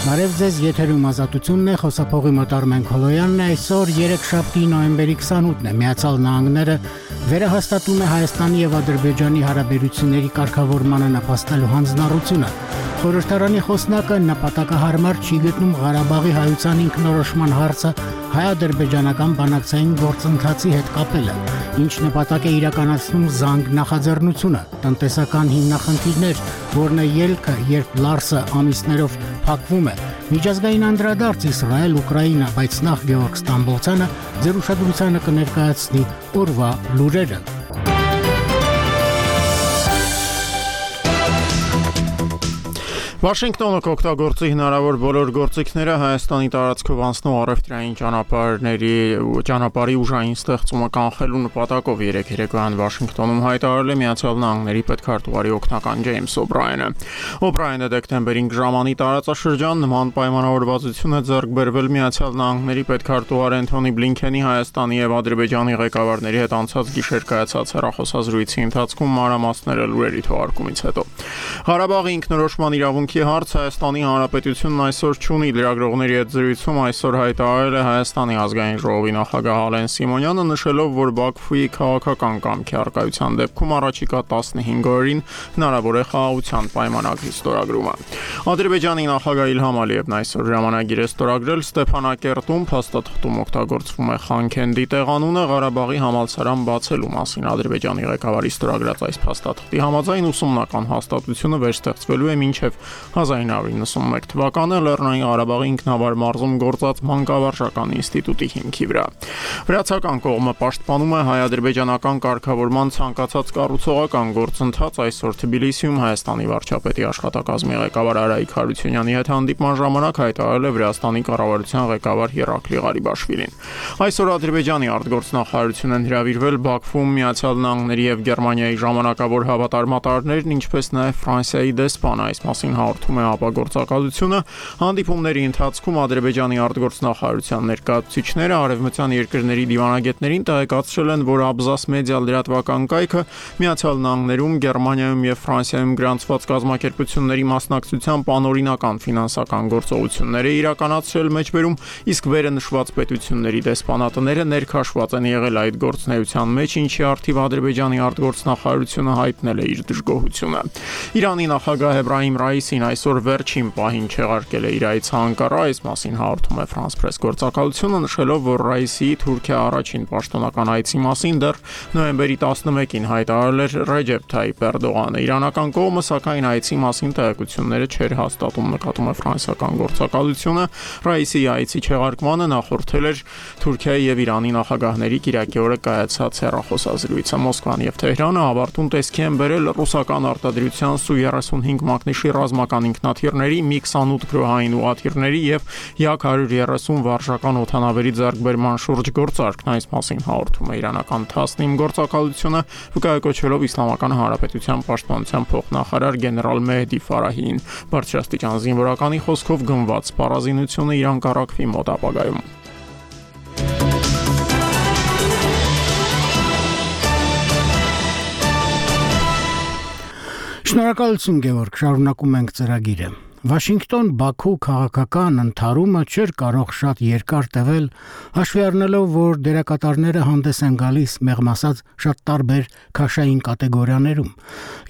Բարև ձեզ, եթերում ազատությունն է, խոսափողի մոտ Արմեն Քոլոյանն է, այսօր երեքշաբթի նոյեմբերի 28-ն է, Միացյալ Նահանգները վերահաստատում է Հայաստանի եւ Ադրբեջանի հարաբերությունների կարգավորմանը նպաստելու հանձնառությունը։ Խորհրդարանի խոսնակը նպատակահարմար չի գտնում Ղարաբաղի հայության ինքնորոշման հարցը հայ-ադրբեջանական բանակցային գործընթացի հետ կապելը, ինչ նպատակ է իրականացնում զանգ նախաձեռնությունը, տնտեսական հիմնախնդիրներ, որն է ելքը, երբ Լարսը ամիսներով փակվում է, միջազգային անդրադարձ Իսրայել, Ուկրաինա, բայց նախ Գեորգ Ստամբոլցյանը ձեր ուշադրությանը կներկայացնի օրվա լուրերը։ Վաշինգտոնը կօգտագործի հնարավոր բոլոր գործիքները Հայաստանի տարածքով անցնող առևտրային ճանապարհի ուժային ստեղծումը կանխելու նպատակով երեկոյան Վաշինգտոնում հայտարարել է Միացյալ Նահանգների պետքարտուղարի օգնական Ջեյմս Օբրայենը։ Օբրայենը դեկտեմբերին ժամանի տարածաշրջան նման պայմանավորվածություն է ձեռք բերվել Միացյալ Նահանգների պետքարտուղար Էնթոնի Բլինքենի Հայաստանի եւ Ադրբեջանի ղեկավարների հետ անցած գիշեր կայացած հեռախոսազրույցի ընթացքում մանրամասները լուրերի թողարկումից հետո։ Ղարաբաղի ինքնորոշման իրավունքի հարց Հայաստանի Հանրապետությունն այսօր չունի, լրագրողների հետ զրույցում այսօր հայտարարել է Հայաստանի ազգային ժողովի նախագահ Ալեն Սիմոնյանը, նշելով, որ Բաքվի քաղաքական կամքի առկայության դեպքում առաջիկա 15 օրերին հնարավոր է խաղաղության պայմանագրի ստորագրումը։ Ադրբեջանի նախագահ Իլհամ Ալիևն այսօր ժամանագիր է ստորագրել Ստեփանակերտում փաստաթղթում օգտագործվում է Խանքենդի տեղանունը Ղարաբաղի համալսարան բացելու մասին Ադրբեջանի ղեկավարի ստորագրած այս փաստաթղթի համաձայն ուսումնական հաստատությունը վերստեղծվելու է մինչև 1991 թվականը Լեռնային Ղարաբաղի ինքնավար մարզում գործած մանկավարժական ինստիտուտի հիմքի վրա։ Վրացական կողմը պաշտպանում է հայ-ադրբեջանական կարգավորման ցանկացած կառուցողական գործընթաց այսօր Թբիլիսիում Հայաստանի վարչապետի աշխատակազմի ղեկավար Արայիկ Հարությունյանի հետ հանդիպման ժամանակ հայտարարել է Վրաստանի կառավարության ղեկավար Երակլի Ղարիբաշվիլին։ Այսօր Ադրբեջանի արտգործնախարարություն են հրավիրվել Բաքվում Միացյալ Նահանգների եւ Գերմանիայի ժամանակավոր հավատարմատարներն, ինչպես նաեւ Ֆրանսիայի դեսպանը, այս մասին հաղորդում է ապագործակալությունը։ Հանդիպումների ընթացքում Ադրբեջանի արտգործնախարարության ներկայացուցիչները արևմտյան երկրների դիվանագետներին տեղեկացրել են, որ Աբզաս մեդիա լրատվական կայքը Միացյալ Նահանգներում, Գերմանիայում եւ Ֆրանսիայում գրանցված կազմակերպությունների մասնակցությամբ անօրինական ֆինանսական գործողություններ է իրականացրել մեջբերում, իսկ վերը նշված պետությունների դեսպանատները ներքաշված են եղել այդ գործունեության մեջ, ինչի առթիվ Ադրբեջանի արտգործնախարարությունը հայտնել է իր դժգոհությունը։ Իրանի նախագահ Էբրահիմ Ռայիսին այսօր վերջին պահին չեղարկել է իր այցը Անկարա, այս մասին հաղորդում է France Press գործակալությունը, նշելով, որ Ռայիսի Թուրքիա առաջին պաշտոնական այցի մասին դեռ նոյեմբերի 11-ին հայտարարել էր Ռեջեփ Թայիփ Էրդողանը։ Իրանական կողմը սակայն այցի մասին տեղեկությունները չէր հաստատում, նկատում է ֆրանսիական գործակալությունը։ Ռայիսի այցի չեղարկմանը նախորդել էր Թուրքիայի եւ Իրանի նախագահների կիրակի օրը կայացած հեռախոսազրույցը։ Մոսկվան եւ Թեհրանը ավարտուն տեսքի են բերել ռուսական արտադրության Սու-35 մակնիշի ռազմական ինքնաթիռների, Mi-28 գրոհային ուղաթիռների եւ Yak-130 վարժական օդանավերի ձեռքբերման շուրջ գործարքն, այս մասին հաղորդում է իրանական Թասնիմ գործակալությունը, վկայակոչվելով Իսլամական Հանրապետության պաշտպանության փոխնախարար գեներալ Մեհդի Ֆարահիին։ Բարձրաստիճան զինվորականի խոսքով գնված սպառազինությունը Իրան կառակվի մոտ ապագայում։ Շնորհակալություն Գեորգ, շարունակում ենք ծրագիրը։ Վաշինգտոն Բաքու քաղաքական ընդհարումը չէր կարող շատ երկար տևել, հաշվի առնելով, որ դերակատարները հանդես են գալիս մեղմ ասած շատ տարբեր քաշային կատեգորիաներում։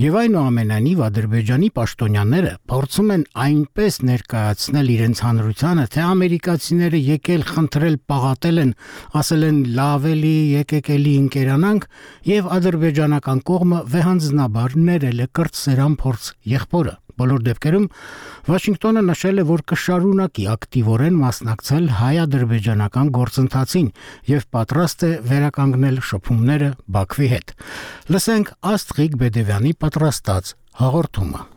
Եվ այնուամենայնիվ Ադրբեջանի պաշտոնյաները փորձում են այնպես ներկայացնել իրենց հանրությանը, թե ամերիկացիները եկել խնդրել պաղատել են, ասել են լավ էլի եկեք էլի ընկերանանք, եւ ադրբեջանական կողմը վեհանձնաբար ներել է կրտսերան փորձ եղբորը։ Բոլոր դեպքերում Վաշինգտոնը նշել է, որ կշարունակի ակտիվորեն մասնակցել հայ-ադրբեջանական գործընթացին եւ պատրաստ է վերականգնել շփումները Բաքվի հետ։ Լսենք Աստղիկ Բեդևյանի պատրաստած հաղորդումը։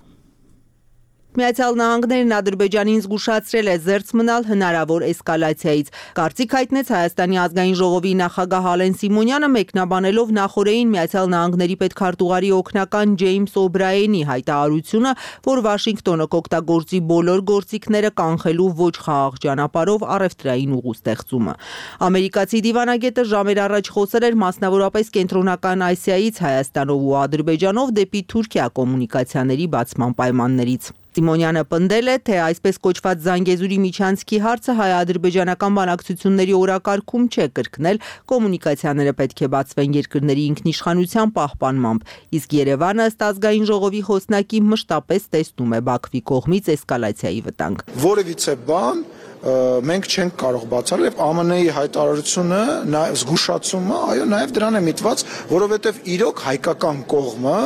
Միացյալ Նահանգներն Ադրբեջանին զգուշացրել է զերծ մնալ հնարավոր էսկալացիայից։ Կարծիք հայտնեց Հայաստանի ազգային ժողովի նախագահ Ալեն Սիմոնյանը, մեկնաբանելով նախորդին Միացյալ Նահանգների պետքարտուղարի օգնական Ջեյմս Օբրայենի հայտարարությունը, որ Վաշինգտոնը կօգտագործի բոլոր գործիքները կանխելու ոչ խաղաղ ճանապարհով առևտրային ուղու ստեղծումը։ Ամերիկացի դիվանագետը ժամեր առաջ խոսել էր մասնավորապես Կենտրոնական Ասիայից Հայաստանով ու Ադրբեջանով դեպի Թուրքիա կոմունիկացիաների բացման պայմաններից։ Սիմոնյանը պնդել է, թե այսպես կոչված Զանգեզուրի միջանցքի հարցը հայ-ադրբեջանական բանակցությունների օրակարգում չէ կրկնել, կոմունիկացիաները պետք է բացվեն երկրների ինքնիշխանության պահպանմամբ, իսկ Երևանը ըստ ազգային ժողովի խոսնակի մշտապես տեսնում է Բաքվի կողմից էսկալացիայի վտանգ։ Որևիցե բան մենք չենք կարող բացառել եւ ԱՄՆ-ի հայտարարությունը, զգուշացումը, այո, նաեւ դրան է միտված, որովհետեւ իրոք հայկական կողմը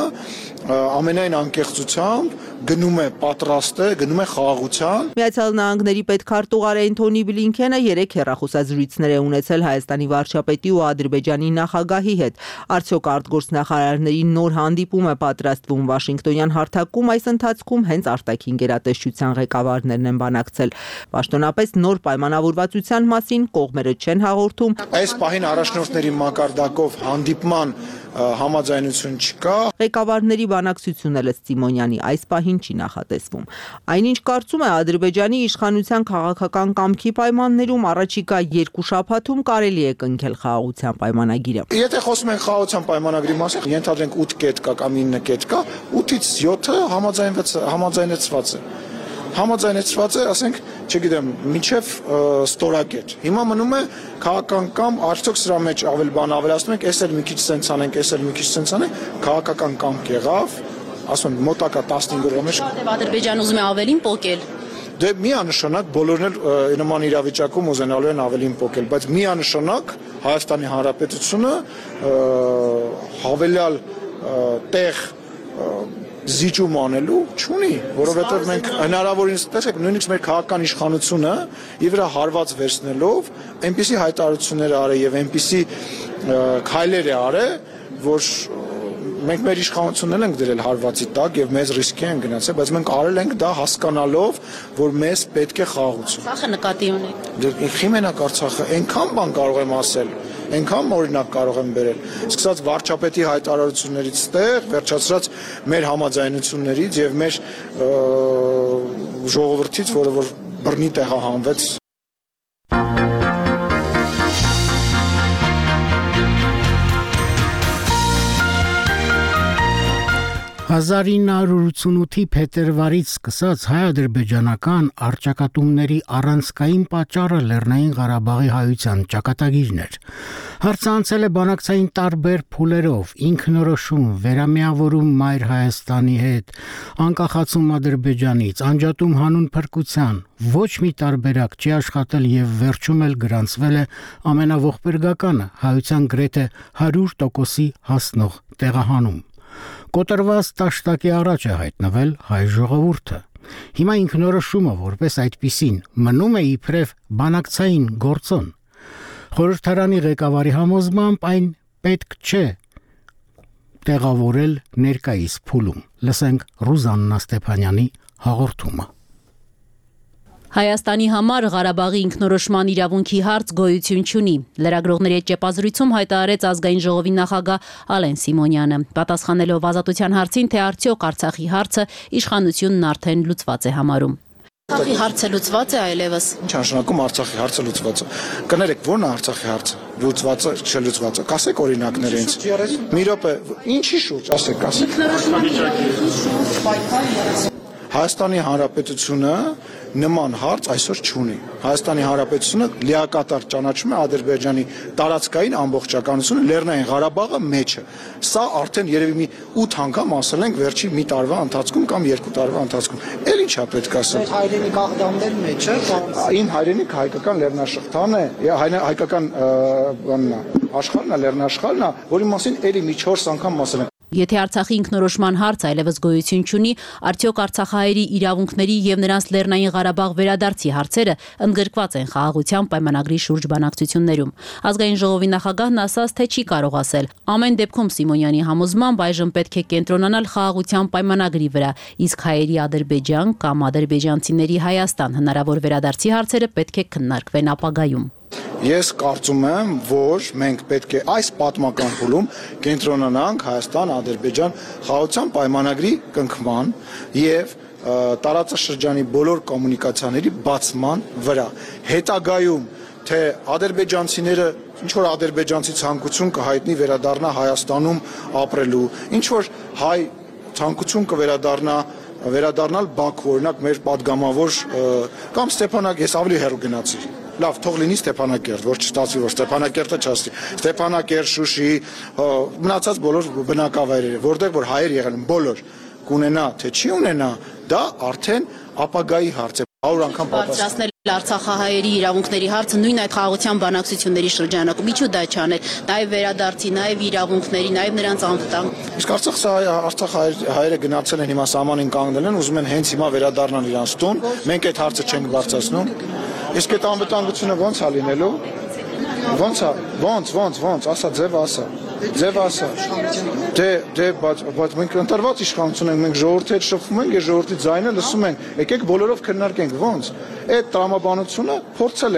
ամենայն անկեղծությամբ գնում է պատրաստ է, գնում է խաղաղության։ Միացյալ Նահանգների պետքարտուղար Էնթոնի Բլինքենը 3 հեռախոսազրույցներ է ունեցել Հայաստանի վարչապետի ու Ադրբեջանի նախագահի հետ։ Արդյոք արտգործնախարարների նոր հանդիպում է պատրաստվում Վաշինգտոնյան հարթակում, այս ընթացքում հենց արտաքին գերատեսչության ղեկավարներն են բանակցել։ Պաշտոնապես նոր պայմանավորվածության մասին կողմերը չեն հաղորդում։ Այս պահին առաջնորդների մակարդակով հանդիպման համաձայնություն չկա։ Ղեկավարների բանակցությունն էլ Սիմոնյանի այս պահին չի նախատեսվում։ Այնինչ կարծում է Ադրբեջանի իշխանության քաղաքական կամքի պայմաններում առաջիկա 2 շաբաթում կարելի է կնքել խաղաղության պայմանագիրը։ Եթե խոսում ենք խաղաղության պայմանագրի մասին, ենթադրենք 8 կետ կա կամ 9 կետ կա, 8-ից 7-ը համաձայնեցված է։ Համաձայնեցված է, ասենք, չգիտեմ, մինչև ստորակետ։ Հիմա մնում է քաղաքական կամ արդյոք սրա մեջ ավելի բան ավելացնում ենք, էս էլ մի քիչ սենց անենք, էս էլ մի քիչ սենց անենք, քաղաքական կամք եղավ, ասում եմ, մոտակա 15 օրվա մեջ։ Ադրբեջանը ուզում է ավելին պոկել։ Դե միանշանակ բոլորն էլ նման իրավիճակում ուզենալու են ավելին պոկել, բայց միանշանակ Հայաստանի Հանրապետությունը հավելյալ տեղ զիջում անելու չունի, որովհետև մենք հնարավորինս տեսեք նույնիսկ մեր քաղաքական իշխանությունը իր վրա հարված վերցնելով այնպիսի հայտարարություններ արել եւ այնպիսի քայլեր է արել, որ մենք մեր իշխանությունն ենք դրել հարվածի տակ եւ մեծ ռիսկի են գնացել, բայց մենք արել ենք դա հասկանալով, որ մեզ պետք է խաղաղություն։ Արցախը նկատի ունեք։ Դե խիմենակ Արցախը այնքան բան կարող եմ ասել, այնքան օրինակ կարող եմ բերել։ Սկսած վարչապետի հայտարարություններից ստեղ, վերջացրած մեր համաձայնություններից եւ մեր ժողովրդից, որը որ բռնի տեղահանվեց։ 1988-ի փետրվարից սկսած հայ-ադրբեջանական առճակատումների առանցքային պատճառը Լեռնային Ղարաբաղի հայության ճակատագիրն էր։ Հարցը անցել է բանակցային տարբեր փուլերով՝ ինքնորոշում, վերամիավորում Մայր Հայաստանի հետ, անկախացում Ադրբեջանից, անջատում հանուն փրկության, ոչ մի տարբերակ չի աշխատել եւ վերջում էլ գրանցվել է ամենաողբերգականը՝ հայության գրեթե 100%-ի հասնող տեղահանում։ Կոտրված տաշտակի առաջ է հայտնվել հայ ժողովուրդը։ Հիմա ինքնորոշումը որպես այդպիսին մնում է իբրև բանակցային գործոն։ Խորհրդարանի ղեկավարի համոզմամբ այն պետք չէ տեղավորել ներկայիս փուլում։ Լսենք Ռուզաննա Ստեփանյանի հաղորդումը։ Հայաստանի համար Ղարաբաղի ինքնորոշման իրավունքի հարց գոյություն չունի։ Լրագրողների հետ ճեպազրույցում հայտարարեց ազգային ժողովի նախագահ Ալեն Սիմոնյանը, պատասխանելով ազատության հարցին, թե արդյոք Արցախի հարցը իշխանությունն արդեն լուծված է համարում։ Արցախի հարցը լուծված է այլևս։ Ինչ նշանակում Արցախի հարցը լուծված է։ Կներեք, ո՞րն է Արցախի հարցը։ Լուծված է, չլուծված է։ Կասեք օրինակներ ինձ։ Մի րոպե, ինչի շուրջ, ասեք, ասեք։ Հայաստանի Հանրապետությունը նման հարց այսօր չունի։ Հայաստանի Հանրապետությունը լիակատար ճանաչում է Ադրբեջանի տարածքային ամբողջականությունը, Լեռնային Ղարաբաղը մեջը։ Սա արդեն երևի մի 8 անգամ ասել ենք վերջի մի տարվա ընթացքում կամ 2 տարվա ընթացքում։ Էլ ինչա պետք ասել։ Հայրենիք աղդամներ մեջը։ Ին հայրենիք հայկական լեռնաշխարհն է, հայկական բանն է, աշխարհն է, լեռնաշխարհն է, որի մասին էլի մի 4 անգամ ասել ենք։ Եթե Արցախի ինքնորոշման հարց այլևս գոյություն չունի, արդյոք արցախահայերի իրավունքների եւ նրանց Լեռնային Ղարաբաղ վերադարձի հարցերը ընդգրկված են խաղաղության պայմանագրի շուրջ բանակցություններում։ Ազգային ժողովի նախագահն ասաց, թե չի կարող ասել։ Ամեն դեպքում Սիմոնյանի համոզմամբ այժմ պետք է կենտրոնանալ խաղաղության պայմանագրի վրա, իսկ հայերի Ադրբեջան կամ ադրբեջանցիների Հայաստան հնարավոր վերադարձի հարցերը պետք է քննարկվեն ապագայում։ Ես կարծում եմ, որ մենք պետք է այս պատմական փուլում կենտրոնանանք Հայաստան-Ադրբեջան խաղաղության պայմանագրի կնքման եւ տարածաշրջանի բոլոր կոմունիկացիաների բացման վրա։ Հետագայում թե ադրբեջանցիները ինչ որ ադրբեջանցի ցանկություն կհայտնի վերադառնա Հայաստանում ապրելու, ինչ որ հայ ցանկություն կվերադառնա վերադառնալ Բաքու, օրինակ մեր падգամավոր կամ Ստեփանակ, ես ավելի հեռու գնացի։ Լավ, թող լինի Ստեփանակերտ, որ չստացվի, որ Ստեփանակերտը չասի։ Ստեփանակերտ, Շուշի, մնացած բոլոր բնակավայրերը, որտեղ որ հայեր եղել են բոլոր, կունենա, թե չի ունենա, դա արդեն ապագայի հարց է։ 100 անգամ բարձրացնել Արցախահայերի իրավունքների հարցը նույն այդ խաղաղության բանակցությունների շրջանակում ինչու դա չանել, նաև վերադարձի, նաև իրավունքների, նաև նրանց անվտանգ։ Իսկ Արցախահայերը գնացել են հիմա սահմանին կանգնել են, ուզում են հենց հիմա վերադառնալ իրանց տուն, մենք այդ հարցը չենք բարձրացնում։ Իսկ այդ անվտանգությունը ո՞նց է լինելու։ Ոնց, ասա ձև ասա։ Բայց մենք ընտրված իշխանություն ենք, մենք ժողովրդի հետ շփվում ենք, ժողովրդի ձայնը լսում ենք, եկեք բոլորով քննարկենք, ոնց։ Այդ տրամաբանությունը փորձել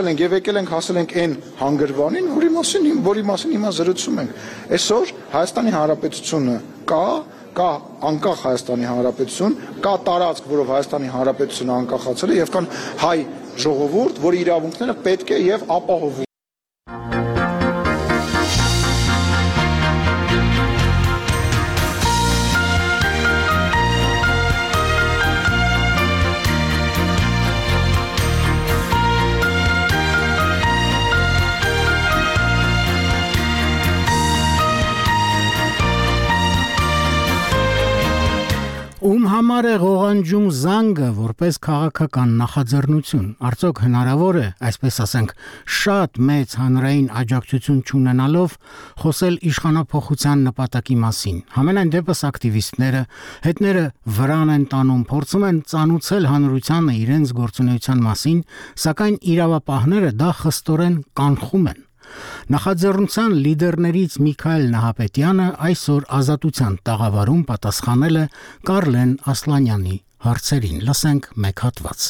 ենք եւ եկել ենք հասել ենք այն հանգրվանին, որի մասին հիմա զրուցում ենք։ Այսօր Հայաստանի Հանրապետությունը կա անկախ Հայաստանի Հանրապետություն, կա տարածք, որով Հայաստանի Հանրապետությունը անկախացել է եւ կան հայ ժողովուրդ, որի իրավունքները պետք է եւ ապահովում։ Ում համար է ղողանջում զանգը որպես քաղաքական նախաձեռնություն, արդյոք հնարավոր է, այսպես ասենք, շատ մեծ հանրային աջակցություն չունենալով խոսել իշխանափոխության նպատակի մասին։ Համենայն դեպս ակտիվիստները, հետները վրան են տանում, փորձում են ծանուցել հանրությանը իրենց գործունեության մասին, սակայն իրավապահները դա խստորեն կանխում են։ Նախաձեռնության լիդերներից Միքայել Նահապետյանը այսօր Ազատության տաղավարում պատասխանել է Կարլեն Ասլանյանի հարցերին։ Լսենք մեկ հատված։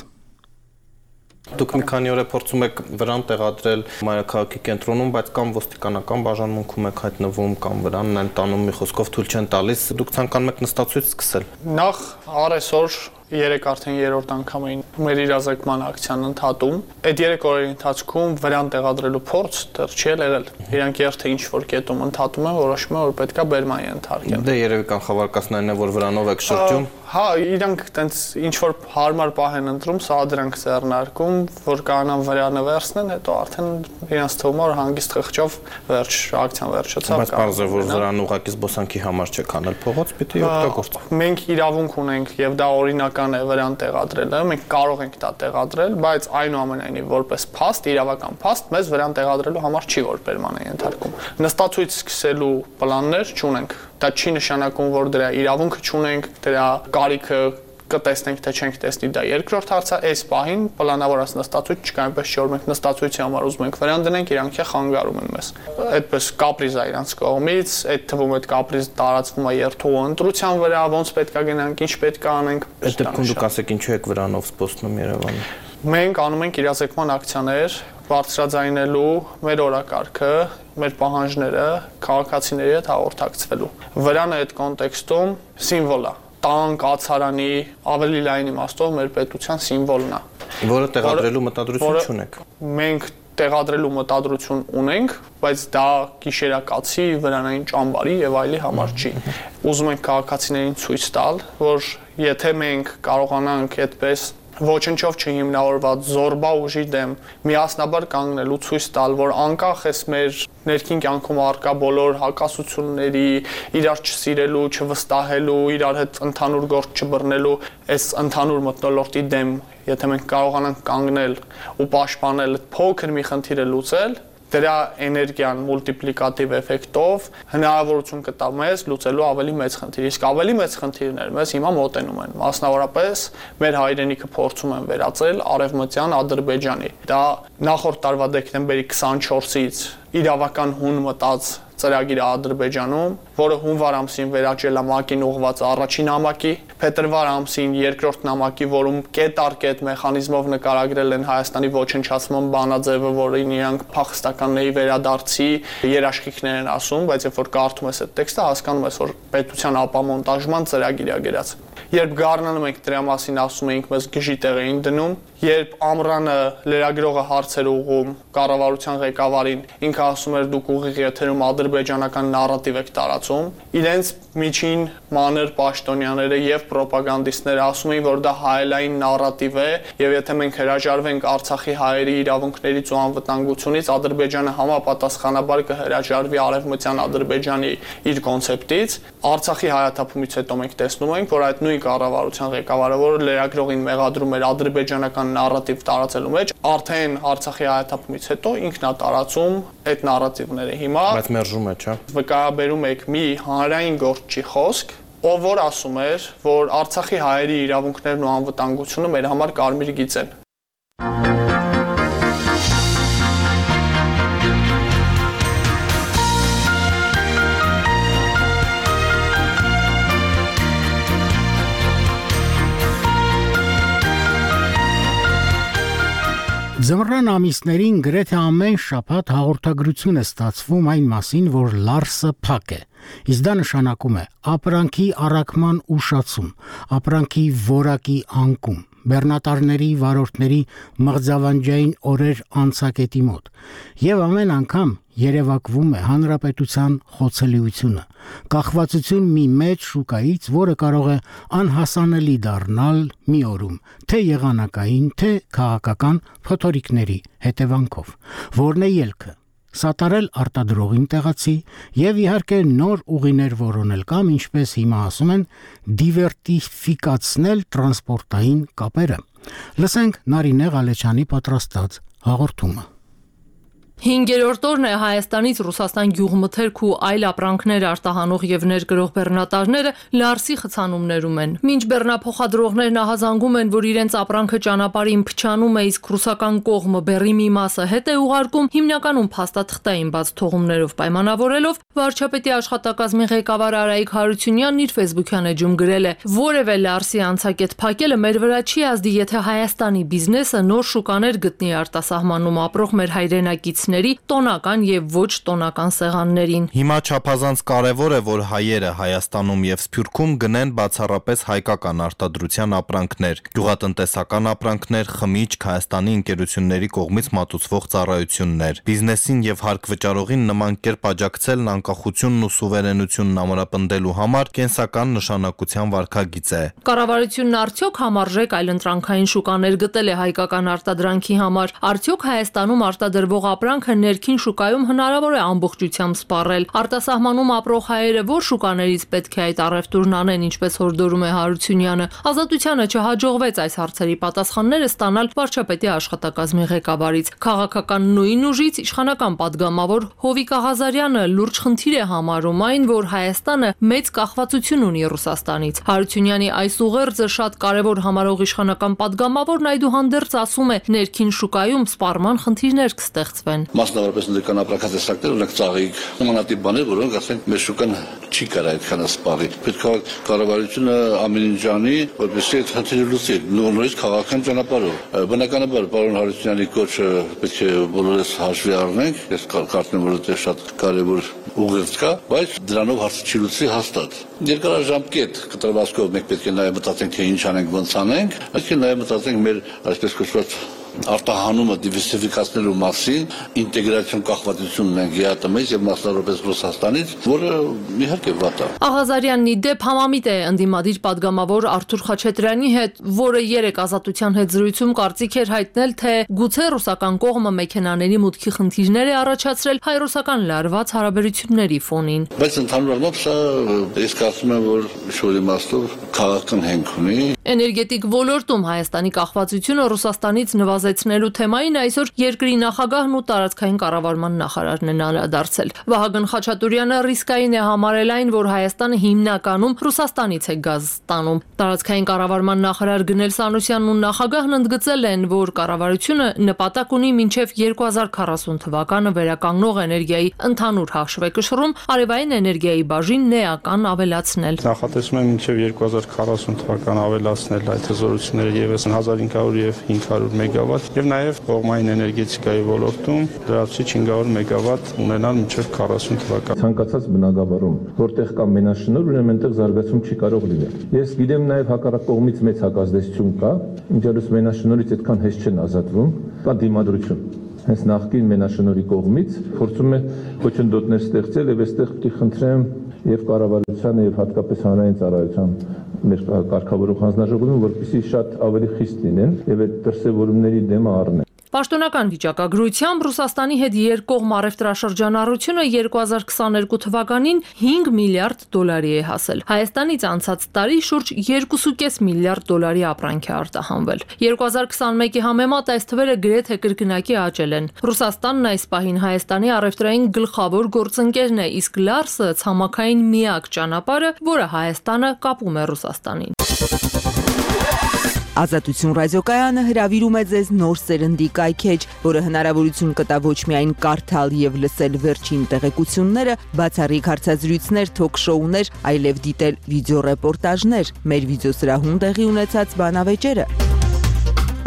Դուք մի քանի օր է փորձում եք վրան տեղադրել մայրաքաղաքի կենտրոնում, բայց կամ ոստիկանական բաժանմունքում եք հայտնվում, կամ վրանն են տանում, մի խոսքով թույլ չեն տալիս։ Դուք ցանկանում եք նստացույց սկսել։ Նախ առեսօր 3 արդեն 3-րդ անգամ էին մեր իրազեկման ակցիան ընդհատում։ Այդ 3 օրերի ընթացքում վրան տեղադրելու փորձ դեռ չի եղել։ Իրանք երթը ինչ որ կետում ընդհատում են, որոշում են, որ պետքա բերման ենթարկեն։ Դե երևի կանխավարկածներն են, որ վրանով եք շրջում։ Հա, իրանք տենց ինչ որ հարմար պահ են ընտրում, սա դրանք ձեռնարկում, որ կանան վրանը վերցնեն, հետո արդեն իրանց թվում է, որ հանգիստ խղճով վերջ ակցիան վերջացավ։ Բայց պարզ է, որ վրան ուղղակի զբոսանքի համար չեք անել փողոց, պիտի օգտագործեք։ Մենք իրավունք ունենք եւ դա օրինական է վրան տեղադրելը, մենք կարող ենք դա տեղադրել, բայց այնուամենայնիվ որպես փաստ, իրավական փաստ, մեզ վրան տեղադրելու համար չի որ բերման է ենթարկում։ Նստացույց սկսելու պլաններ չունենք։ Դա չի նշանակում, որ դրա իրավունքը չունենք, դրա կարիքը կտեսնենք, թե չենք տեսնի, դա երկրորդ հարցը, այս պահին պլանավորած նստացույց չկա, այնպես չէ, որ մենք նստացույցի համար ուզում ենք վրան դնենք, իրանք խանգարում են մեզ։ Այդպես կապրիզ է իրանց կողմից, այդ թվում այդ կապրիզ տարածվում է երթուղու ընտրության վրա, ոնց պետքա գնանք, ինչ պետքա անենք։ Այդ դեպքում դուք ասեք ինչու եք վրանով զբոսնում Երևանում։ Մենք անում ենք իրազեկման ակցիաներ, բարձրաձայնելու մեր օրակարգը, մեր պահանջները քաղաքացիների հետ հաղորդակցվելու։ Վրանը այդ կոնտեքստում սիմվոլ է։ Տան, կացարանի, ավելի լայն իմաստով մեր պետության սիմվոլն է։ Որը տեղադրելու մտադրություն չունեք։ Մենք տեղադրելու մտադրություն ունենք, բայց դա գիշերակացի, վրանային ճամբարի եւ այլի համար չի։ Ուզում ենք քաղաքացիներին ցույց տալ, որ եթե մենք կարողանանք այդպես ոչնչով չհիմնավորված զորբա ուժի դեմ միասնաբար կանգնելու ցույց տալ, որ անկախ էս մեր ներքին կյանքում առկա բոլոր հակասությունների, իրար չսիրելու, չվստահելու, իրար հետ ընդհանուր գործ չբռնելու, այս ընդհանուր մթնոլորտի դեմ, եթե մենք կարողանանք կանգնել ու պաշտպանել փոքր մի խնդիրը լուծել, դրա էներգիան մուլտիպլիկատիվ էֆեկտով հնարավորություն կտա մեզ լուծելու ավելի մեծ խնդիր։ Իսկ ավելի մեծ խնդիրներ մեզ հիմա մոտենում են։ Մասնավորապես մեր հայրենիքը փորձում են վերածել արևմտյան Ադրբեջանի։ Դա նախորդ տարվա դեկտեմբերի 24-ից իրավական հուն մտած ծրագիրը Ադրբեջանում, որը հունվար ամսին վերաճել է ՄԱԿ-ին ուղղված առաջին նամակի, փետրվար ամսին երկրորդ նամակի, որում կետ առ կետ մեխանիզմով նկարագրել են Հայաստանի ոչնչացման բանաձևը, որին իրանք փախստականների վերադարձի երաշխիքներ են ասում, բայց երբ որ կարդում ես այդ տեքստը, հասկանում ես, որ պետության ապամոնտաժման ծրագիր է գրած։ Երբ գարնանում ենք դրա մասին ասում էինք, մեզ գժի տեղ էին դնում, երբ ամռանը լրագրողը հարցեր ուղղում կառավարության ղեկավարին, ինքը ասում էր դուք ուղիղ եթերում ադրբեջանական նարատիվ եք տարածում, իրենց միջին մանր պաշտոնյաները եւ պրոպագանդիստները ասում էին, որ դա հայելային նարատիվ է, եւ եթե մենք հրաժարվենք Արցախի հայերի իրավունքներից ու անվտանգությունից, Ադրբեջանը համապատասխանաբար կհրաժարվի արևմտյան Ադրբեջանի իր կոնցեպտից։ Արցախի հայաթափումից հետո մենք տեսնում ենք, որ այդ նույն կառավարության ղեկավարը, որ լրագրողին մեղադրում էր ադրբեջանական նարատիվ տարածելու մեջ, արդեն Արցախի հայաթափումից հետո ինքն է տարածում այդ նարատիվները։ Հիմա բայց մերժում է, չէ՞։ Վկայաբերում եք մի հանրային գործչի խոսք, ով որ ասում էր, որ Արցախի հայերի իրավունքներն ու անվտանգությունը մեր համար կարմիր գիծ են։ Ձմռան ամիսներին գրեթե ամեն շաբաթ հաղորդագրություն է ստացվում այն մասին, որ Լարսը փակ է։ Իսկ դա նշանակում է ապրանքի առաքման ուշացում, ապրանքի որակի անկում, բեռնատարների վարորդների մղձավանջային օրեր անցակետի մոտ։ Եվ ամեն անգամ երևակվում է հանրապետության խոցելիությունը, կախվածություն մի մեծ շուկայից, որը կարող է անհասանելի դառնալ մի օրում, թե եղանակային, թե քաղաքական փոթորիկների հետևանքով։ Որն է ելքը։ Սատարել արտադրողին տեղացի եւ իհարկե նոր ուղիներ որոնել կամ ինչպես հիմա ասում են դիվերսիֆիկացնել տրանսպորտային կապերը։ Լսենք Նարինե Ղալեչյանի պատրաստած հաղորդումը։ 5-րդ օրն է Հայաստանից Ռուսաստան գյուղմթերք ու այլ ապրանքներ արտահանող եւ ներկրող բեռնատարները Լարսի խցանումներում են։ Մինչ բեռնափոխադրողներն ահազանգում են, որ իրենց ապրանքը ճանապարհին փչանում է, իսկ ռուսական կողմը բեռի մի մասը հետ է ուղարկում, հիմնականում փաստաթղթային բաց թողումներով պայմանավորելով, վարչապետի աշխատակազմի ղեկավար Արայիկ Հարությունյանն իր Facebook-յան էջում գրել է. «Որևէ Լարսի անցակետ փակելը մեր վրա չի ազդի, եթե Հայաստանի բիզնեսը նոր շուկաներ գտնի արտասահմանում ապրող մեր հայրենակից տոնական եւ ոչ տոնական սեղաններին։ Հիմա չափազանց կարևոր է, որ հայերը Հայաստանում եւ Սփյուռքում գնեն բացառապես հայկական արտադրության ապրանքներ, գյուղատնտեսական ապրանքներ, խմիչք, Հայաստանի ընկերությունների կողմից մատուցվող ծառայություններ։ Բիզնեսին եւ հարկվճարողին նման կերպ աջակցելն անկախությունն ու սուվերենությունն ամրապնդելու համար կենսական նշանակության վարքագիծ է։ Կառավարությունն արդյոք համարժեք այլընտրանքային շուկաներ գտել է հայկական արտադրանքի համար, արդյոք Հայաստանում արտադրվող ապրանքը ներքին շուկայում հնարավոր է ամբողջությամբ սպառել։ Արտասահմանում ապրող հայերը որ շուկաներից պետք է այդ առևտուրն անեն, ինչպես հորդորում է Հարությունյանը։ Ազատությանը չհաջողվեց այս հարցերի պատասխանները ստանալ վարչապետի աշխատակազմի ղեկավարից։ Քաղաքական նույն ուժից իշխանական падգամավոր Հովիկ Աղազարյանը լուրջ խնդիր է համարում այն, որ Հայաստանը մեծ կախվածություն ունի Ռուսաստանից։ Հարությունյանի այս ուղերձը շատ կարևոր համարող իշխանական падգամավորն այդուհանդերձ ասում է, ներքին շուկայում սպառման խնդիրներ կստեղծվեն։ Մասնավորապես ներկան ապրանքատեսակներ ունենք ծաղիկ, նմանատիպ բաներ, որոնք ասենք մեր շուկան չի կարող այդքան սպառի։ Պետք է կառավարությունը ամեն ինչ անի, որպեսզի այդ խնդիրը լուծի, նորից քաղաքական ճանապարհով։ Բնականաբար պարոն Հարությունյանի կոչը պետք է բոլորս հաշվի առնենք, ես կարծում եմ, որ դա շատ կարևոր ուղերձ կա, բայց դրանով հարցը չի լուծի հաստատ։ Երկարաժամկետ կտրվածքով մենք պետք է նաև մտածենք, թե ինչ անենք, ոնց անենք, պետք է նաև մտածենք մեր այսպես կոչված արտահանումը դիվերսիֆիկացնելու մասին, ինտեգրացիոն կախվածությունն ենք ԵԱՏՄ-ից եւ մասնավորապես Ռուսաստանից, որը իհարկե վատ է։ Աղազարյանն ի դեպ համամիտ է ընդդիմադիր падգամավոր Արթուր Խաչատրյանի հետ, որը երեք Ազատության հետ զրույցում կարծիք էր հայտնել, թե գուցե ռուսական կողմը մեքենաների մուտքի խնդիրներ է առաջացրել հայ-ռուսական լարված հարաբերությունների ֆոնին։ Բայց ընդհանուր առմամբ սա ես կարծում եմ, որ շուրի իմաստով քաղաքական հենք ունի։ Էներգետիկ ոլորտում Հայաստանի կախվածությունը Ռուսաստանից նվազեցնելու թեմային այսօր երկրի նախագահն ու տարածքային կառավարման նախարարն են անդրադարձել։ Վահագն Խաչատուրյանը ռիսկային է համարել այն, որ Հայաստանը հիմնականում Ռուսաստանից է գազ ստանում։ Տարածքային կառավարման նախարար Գնել Սանուսյանն ու նախագահն ընդգծել են, որ կառավարությունը նպատակ ունի մինչև 2040 թվականը վերականգնող էներգիայի ընդհանուր հաշվեկշռում արևային էներգիայի բաժինն էական ավելացնել։ Նախատեսում եմ մինչև 2040 թվական ավելացնել այդ հզորությունները եւս 1500 եւ 500 մեգավատ մեգավատ եւ նաեւ կողմային էներգետիկայի ոլորտում դրացի 500 մեգավատ ունենալ մինչեւ 40 թվական։ Ցանկացած բնակավարում, որտեղ կա մենաշնորհ, ուրեմն այնտեղ զարգացում չի կարող լինել։ Ես գիտեմ նաեւ հակառակ կողմից մեծ հակազդեցություն կա, ինչալուց մենաշնորհից այդքան հեշտ չեն ազատվում, կա դիմադրություն։ Հենց նախկին մենաշնորհի կողմից փորձում է խոչընդոտներ ստեղծել եւ այստեղ պիտի խնդրեմ եւ կառավարությանը եւ հատկապես հանրային ծառայության մեր կարգավորող հանձնաժողովին, որպեսզի շատ ավելի խիստ լինեն եւ այդ դրսեւորումների դեմը առնեն։ Պաշտոնական վիճակագրությամբ Ռուսաստանի հետ երկկողմ առևտրաշրջանառությունը 2022 թվականին 5 միլիարդ դոլարի է հասել։ Հայաստանից անցած տարի շուրջ 2.5 միլիարդ դոլարի ապրանք է արտահանվել։ 2021-ի համեմատ այս թվերը գրեթե կրկնակի աճել են։ Ռուսաստանն այս պահին Հայաստանի առևտրային գլխավոր գործընկերն է, իսկ Լարսը ցամաքային միակ ճանապարհը, որը Հայաստանը կապում է Ռուսաստանին։ Ազատություն ռադիոկայանը հրավիրում է ձեզ նոր սերնդի կայքեջ, որը հնարավորություն կտա ոչ միայն կարդալ եւ լսել վերջին տեղեկությունները, բացառիկ հարցազրույցներ, թոք-շոուներ, այլև դիտել վիդեոռեպորտաժներ, մեր վիդեոսրահում տեղի ունեցած բանավեճերը,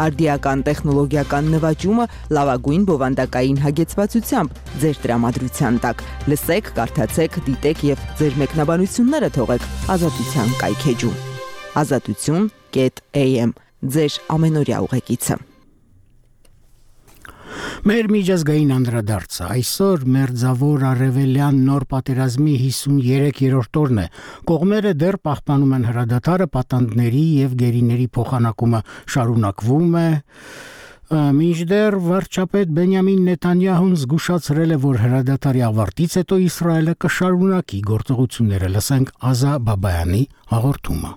արդիական տեխնոլոգիական նվաճումը լավագույն բովանդակային հագեցվածությամբ ձեր տրամադրության տակ։ Լսեք, կարդացեք, դիտեք եւ ձեր մեկնաբանությունները թողեք Ազատության կայքեջում։ Azatutun.am ձեր ամենօրյա ուղեկիցը։ Մեր միջազգային անդրադարձը այսօր մերձավոր արևելյան նոր պատերազմի 53-րդ օրն է։ Կողմերը դեռ պահպանում են հրադադարը, պատանդների եւ գերիների փոխանակումը շարունակվում է։ Մինչդեռ վարչապետ Բենյամին Նեթանյահուն զգուշացրել է, որ հրադադարի ավարտից հետո Իսրայելը կշարունակի գործողությունները։ Լսենք Ազա Բաբայանի հաղորդումը։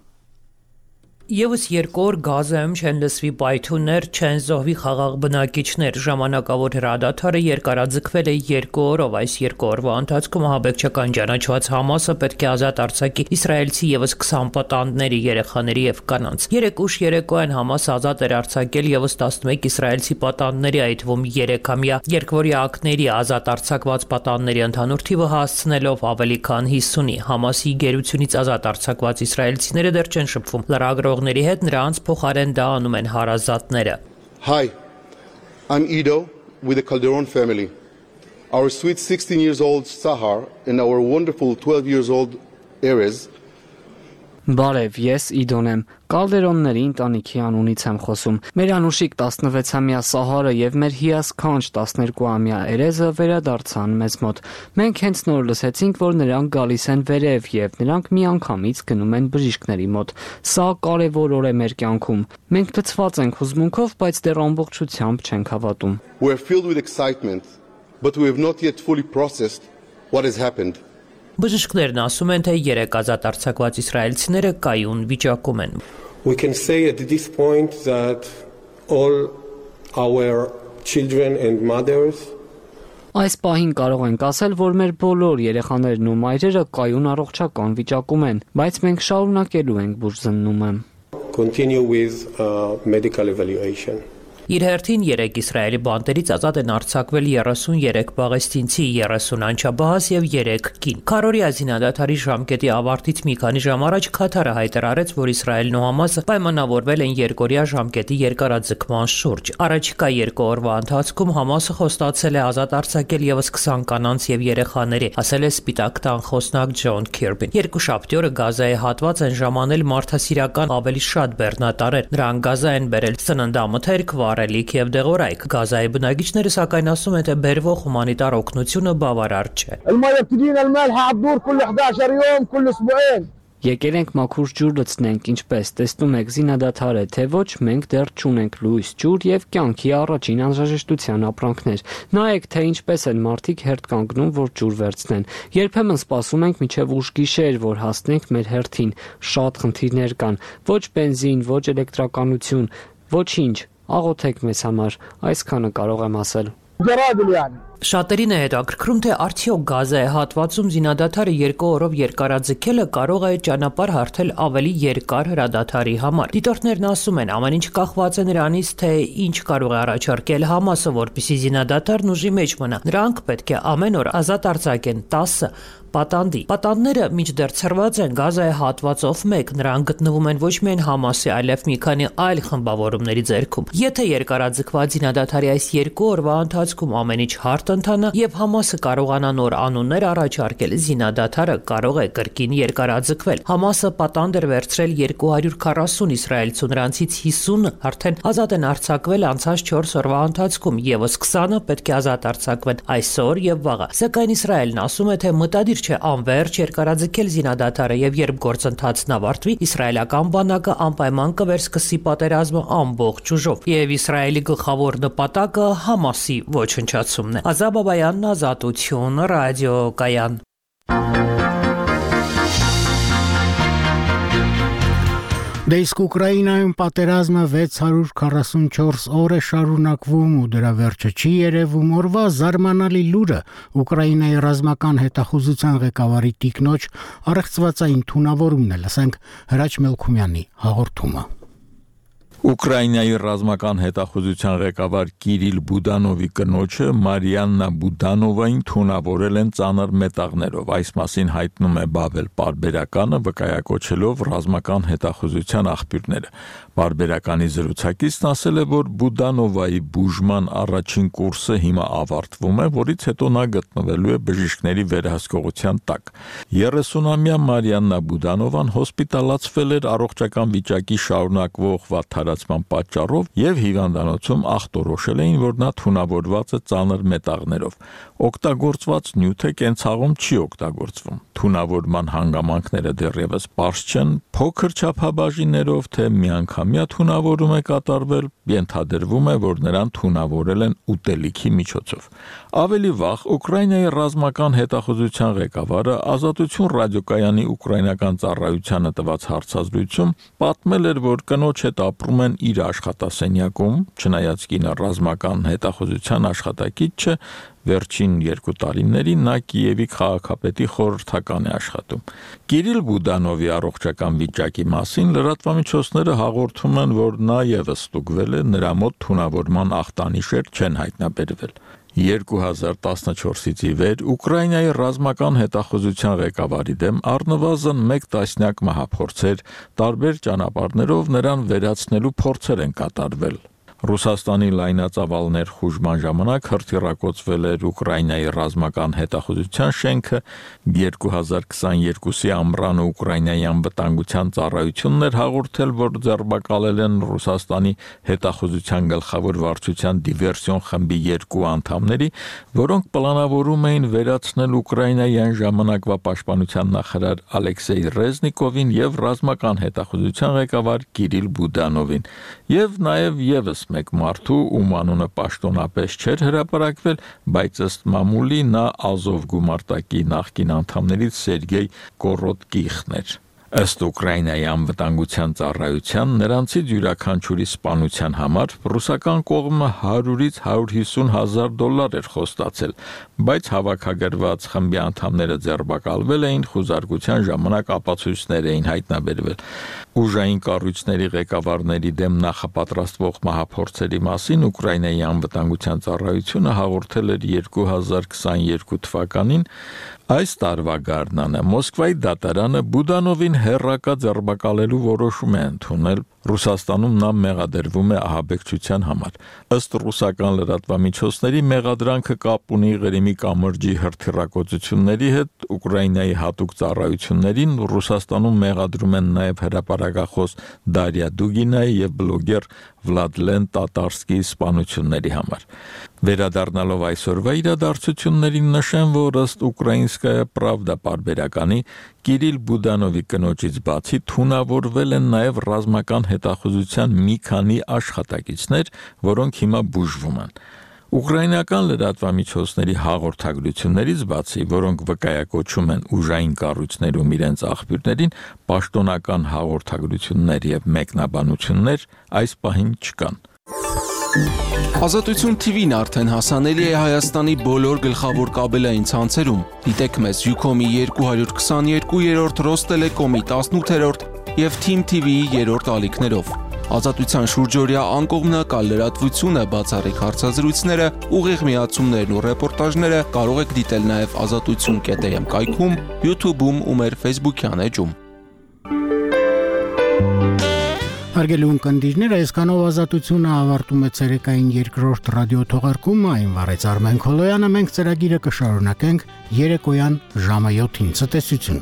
Եվս երկու օր Գազայում չեն լսվի պայթուններ, չեն զոհվի խաղաղ բնակիչներ։ Ժամանակավոր հրադադարը երկարաձգվել է 2 օրով։ Այս 2 օրվա ընթացքում ահաբեկչական ճանաչված Համասը պետք է ազատ արձակի իսրայելցի եւս 20 պատանդների, երեխաների եւ կանանց։ 3 ուշ երեկոյան Համասը ազատ էր արձակել եւս 11 իսրայելցի պատանդների, այդ թվում 3-ամյա երկվորյակների ազատ արձակված պատանդների ընդհանուր թիվը հասցնելով ավելի քան 50-ի։ Համասի գերությունից ազատ արձակված իսրայելցիները դեռ չեն շփվում լրագրողների հետ, նրանց փոխարեն դա անում են հարազատները։ Hi, I'm Ido with the Calderon family. Our sweet 16-year-old Sahar and our wonderful 12-year-old Erez. Բարև, ես Իդոն եմ, Կալդերոնների ընտանիքի անունից եմ խոսում։ Մեր անուշիկ 16-ամյա Սահարը եւ մեր հիասքանչ 12-ամյա Էրեզը վերադարձան մեզ մոտ։ Մենք հենց նոր լսեցինք, որ նրանք գալիս են վերև եւ նրանք միանգամից գնում են բժիշկների մոտ։ Սա կարեւոր օր է մեր կյանքում։ Մենք լցված ենք հուզմունքով, բայց դեռ ամբողջությամբ չենք հավատում։ We're filled with excitement, but we have not yet fully processed what has happened. Բժիշկներն ասում են, թե 3 ազատ արձակված իսրայելցիները կայուն վիճակում են։ We can say at this point that all our children and mothers Այս պահին կարող ենք ասել, որ մեր բոլոր երեխաներն ու մայրերը կայուն առողջական վիճակում են, բայց մենք շարունակելու ենք բուժզննումը։ Continue with medical evaluation. Իր հերթին 3 Իսրայելի բանտերից ազատ են արձակվել 33 պաղեստինցի, 30 անչափահաս եւ 3 կին։ Քարորիա զինադադարի ժամկետի ավարտից մի քանի ժամ առաջ Քաթարը հայտարարեց, որ Իսրայելն ու Համասը պայմանավորվել են երկօրյա ժամկետի երկարաձգման շուրջ։ Առաջիկա 2 օրվա ընթացքում Համասը խոստացել է ազատ արձակել եւս 20 կանանց եւ երեխաների, ասել է Սպիտակ տան խոսնակ Ջոն Քիրբին։ Երկուշաբթի օրը Գազայի հատված են ժամանել մարդասիրական ավելի շատ բեռնատարեր։ Նրանք Գազա են բերել սննդամթերք, Արելիք եւ դեղորայք։ Գազայի բնակիչները սակայն ասում են, թե բերվող հումանիտար օգնությունը բավարար չէ։ Եկել ենք մաքուր ջուր լցնենք, ինչպես տեսնում եք զինադադար է, թե ոչ, մենք դեռ չունենք լույս, ջուր եւ կյանքի առաջին անհրաժեշտության ապրանքներ։ Նայեք, թե ինչպես են մարդիկ հերթ կանգնում, որ ջուր վերցնեն։ Երբեմն սպասում ենք մինչև ուշ գիշեր, որ հասնենք մեր հերթին։ Շատ խնդիրներ կան, ոչ բենզին, ոչ էլեկտրականություն, ոչինչ։ Աղոթեք մեզ համար, այսքանը կարող եմ ասել։ Շատերին է հետաքրքրում, թե արդյոք Գազայի հատվածում զինադադարը 2 օրով երկարաձգելը կարող է ճանապարհ հարթել ավելի երկար հրադադարի համար։ Դիտորդներն ասում են, ամեն ինչ կախված է նրանից, թե ինչ կարող է առաջարկել Համասը, որպեսզի զինադադարն ուժի մեջ մնա։ Նրանք պետք է ամեն օր ազատ արձակեն 10 պատանդի։ Պատանդները մինչդեռ ցրված են Գազայի հատվածով մեկ, նրանք գտնվում են ոչ միայն Համասի, այլև մի քանի այլ խմբավորումների ձեռքում։ Եթե երկարաձգված զինադադարի այս 2 օրվա ընթացքում ամեն ինչ հարթ ընթանա եւ Համասը կարողանա նոր անուններ առաջարկել, զինադադարը կարող է կրկին երկարաձգվել։ Համասը պատանդ էր վերցրել 240 իսրայելցու, նրանցից 50 արդեն ազատ են արձակվել անցած 4 օրվա ընթացքում, եւս 20-ը պետք է ազատ արձակվեն այսօր եւ վաղը։ Սակայն Իսրայելն ասում է, թե մտադիր չէ անվերջ երկարաձգել զինադադարը եւ երբ գործընթացն ավարտվի, իսրայելական բանակը անպայման կվերսկսի պատերազմը ամբողջ ուժով։ Եվ Իսրայելի գլխավոր նպատակը Համասի ոչնչացումն է։ Ազատ Բաբայանն, Ազատություն, ռադիոկայան։ Դե իսկ Ուկրաինայում պատերազմը 644 օր է շարունակվում ու դրա վերջը չի երևում։ Օրվա զարմանալի լուրը Ուկրաինայի ռազմական հետախուզության ղեկավարի տիկնոջ առեղծվածային թունավորումն է, լսենք Հրաչ Մելքումյանի հաղորդումը։ Ուկրաինայի ռազմական հետախուզության ղեկավար Կիրիլ Բուդանովի կնոջը Մարիաննա Բուդանովային թունավորել են ծանր մետաղներով։ Այս մասին հայտնում է Բավել պարբերականը, վկայակոչելով ռազմական հետախուզության աղբյուրները։ Պարբերականի զրուցակիցն ասել է, որ Բուդանովայի բուժման առաջին կուրսը հիմա ավարտվում է, որից հետո նա գտնվելու է բժիշկների վերահսկողության տակ։ 30-ամյա Մարիաննա Բուդանովան հոսպիտալացվել էր առողջական վիճակի շարունակվող վատթարացման պատճառով եւ հիվանդանոցում ախտորոշել էին, որ նա թունավորված է ծանր մետաղներով։ Օգտագործված նյութը կենցաղում չի օգտագործվում։ Թունավորման հանգամանքները դեռևս պարզ չեն, փոքր չափաբաժիններով թե միանգամյա թունավորում է կատարվել, ենթադրվում է, որ նրան թունավորել են ուտելիքի միջոցով։ Ավելի վաղ Ուկրաինայի ռազմական հետախուզության ղեկավարը Ազատություն ռադիոկայանի ուկրաինական ծառայությանը տված հարցազրույցում պատմել էր, որ կնոջ հետ ապրում են իր աշխատասենյակում, չնայած կինը ռազմական հետախուզության աշխատակից չէ, վերջին 2 տարիներին նա Կիևի քաղաքապետի խորհրդական է աշխատում։ Կիրիլ Բուդանովի առողջական վիճակի մասին լրատվամիջոցները հաղորդում են, որ նա եւս ստուգվել է, նրա մոտ թունավորման ախտանիշեր չեն հայտնաբերվել։ 2014-ից ի վեր Ուկրաինայի ռազմական հետախուզության ղեկավարի դեմ առնվազն 1 տասնյակ մահափորձեր, տարբեր ճանապարհներով նրան վերացնելու փորձեր են կատարվել։ Ռուսաստանի լայնածավալ ներխուժման ժամանակ հրթիռակոծվել էր Ուկրաինայի ռազմական հետախուզության շենքը, 2022-ի ամռանը Ուկրաինայի անվտանգության ծառայությունն էր հաղորդել, որ ձերբակալել են Ռուսաստանի հետախուզության գլխավոր վարչության դիվերսիոն խմբի 2 անդամների, որոնք պլանավորում էին վերացնել Ուկրաինայի այն ժամանակվա պաշտպանության նախարար Ալեքսեյ Ռեզնիկովին եւ ռազմական հետախուզության ղեկավար Կիրիլ Բուդանովին, եւ նաեւ եւս մեկ մարդու, ում անունը պաշտոնապես չէր հրապարակվել, բայց ըստ մամուլի նա Ազով գումարտակի նախկին անդամներից Սերգեյ Կորոտկիխն էր։ Ըստ Ուկրաինայի անվտանգության ծառայության, նրանցից յուրաքանչյուրի սպանության համար ռուսական կողմը 100-ից 150 հազար դոլար էր խոստացել, բայց հավաքագրված խմբի անդամները ձերբակալվել էին, խուզարկության ժամանակ ապացույցներ էին հայտնաբերվել։ Ուժային կառույցների ղեկավարների դեմ նախապատրաստվող մահափորձերի մասին Ուկրաինայի անվտանգության ծառայությունը հաղորդել էր 2022 թվականին։ Այս տարվա գարնանը Մոսկվայի դատարանը Բուդանովին հերրակա ձերբակալելու որոշում է ընդունել։ Ռուսաստանում նա մեղադրվում է ահաբեկչության համար։ Ըստ ռուսական լրատվամիջոցների մեղադրանքը կապ ունի Ղրիմի կամրջի հրթիռակոծությունների հետ, Ուկրաինայի հատուկ ծառայություններին Ռուսաստանում մեղադրում են նաև հրապարակախոս Դարիա Դուգինայի եւ բլոգեր Վլադլեն Տատարսկիի սպանությունների համար։ Վերադառնալով այսօրվա իրադարձություններին նշեմ, որ ըստ Ուկրաինսկայա Պրավդա պարբերականի Կիրիլ Բուդանովի կնոջից բացի թունավորվել են նաև ռազմական հետախուզության մի քանի աշխատակիցներ, որոնք հիմա բուժվում են։ Ուկրաինական լրատվամիջոցների հաղորդագրություններից բացի, որոնք վկայակոչում են ուժային կառույցներում իրենց աղբյուրներին, պաշտոնական հաղորդագրություններ եւ մեկնաբանություններ այս պահին չկան։ Ազատություն TV-ն արդեն հասանելի է Հայաստանի բոլոր գլխավոր կաբելային ցանցերում։ Դիտեք մեզ Ucom-ի 222-րդ, Rosttelecom-ի 18-րդ եւ Team TV-ի 3-րդ ալիքներով։ Ազատության շուրջօրյա անկողմնակալ լրատվությունը, բացառիկ հարցազրույցները, ուղիղ միացումներն ու ռեպորտաժները կարող եք դիտել նաեւ azatutsun.am կայքում, YouTube-ում ու մեր Facebook-յան էջում։ Հարգելի ունկնդիրներ, այսքանով Ազատությունը ավարտում է ցերեկային երկրորդ ռադիո թողարկումը, այն վարեց Արմեն Քոլոյանը, մենք ծրագիրը կշարունակենք երեկոյան ժամը 7-ին։ Ցտեսություն։